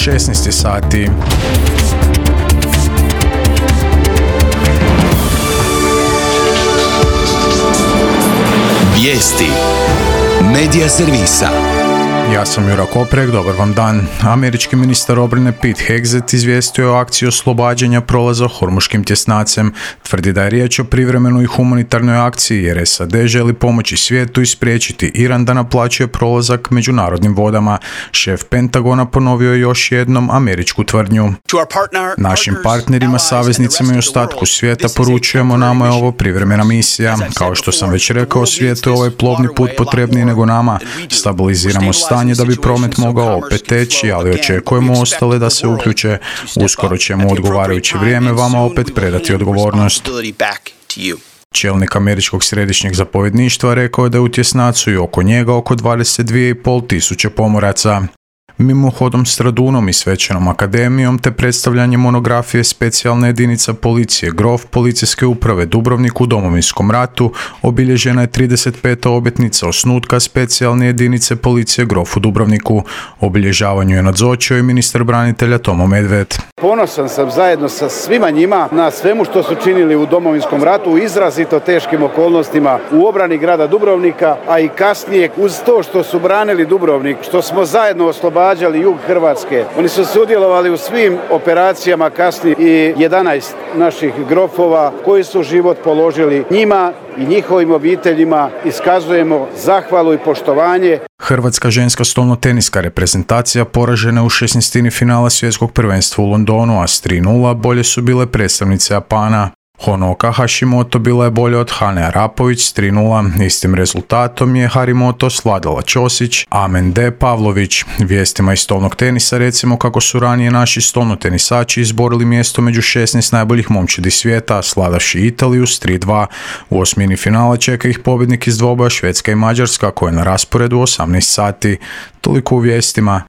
16 sati. Vijesti Medija servisa. Ja sam Jura Koprek, dobar vam dan. Američki ministar obrane Pete Hegseth izvijestio je o akciji oslobađanja prolaza Hormuškim tjesnacem. Tvrdi da je riječ o privremenoj humanitarnoj akciji jer SAD želi pomoći svijetu i spriječiti Iran da naplaćuje prolazak međunarodnim vodama. Šef Pentagona ponovio je još jednom američku tvrdnju. Našim partnerima, saveznicima i ostatku svijeta poručujemo, nama je ovo privremena misija. Kao što sam već rekao, svijetu je ovaj plovni put potrebniji nego nama. Stabiliziramo stanje da bi promet mogao opet teći, ali očekujemo ostale da se uključe. Uskoro ćemo u odgovarajuće vrijeme vama opet predati odgovornost. Čelnik američkog središnjeg zapovjedništva rekao je da je u tjesnacu i oko njega oko 22.500 tisuće pomoraca. Mimohodom Stradunom i Svečanom akademijom te predstavljanje monografije specijalne jedinice policije Grof policijske uprave Dubrovnik u Domovinskom ratu obilježena je 35. obljetnica osnutka specijalne jedinice policije Grof u Dubrovniku. Obilježavanju je nazočio i ministar branitelja Tomo Medved. Ponosan sam zajedno sa svima njima na svemu što su činili u Domovinskom ratu u izrazito teškim okolnostima u obrani grada Dubrovnika, a i kasnije uz to što su branili Dubrovnik, što smo zajedno oslobodili jug Hrvatske. Oni su sudjelovali u svim operacijama kasnije i 11 naših grofova koji su život položili. Njima i njihovim obiteljima iskazujemo zahvalu i poštovanje. Hrvatska ženska stolnoteniska reprezentacija poražena u 16. finala svjetskog prvenstva u Londonu, a s 3:0 bolje su bile predstavnice Japana. Honoka Hashimoto bila je bolja od Hane Arapović s 3:0. Istim rezultatom je Harimoto svladala Ćosić, Amende Pavlović. Vijestima iz stolnog tenisa recimo kako su ranije naši stolnotenisači izborili mjesto među 16 najboljih momčadi svijeta, svladavši Italiju s 3:2. U osmini finala čeka ih pobjednik iz dvoboja Švedska i Mađarska koja je na rasporedu 18 sati. Toliko u vijestima.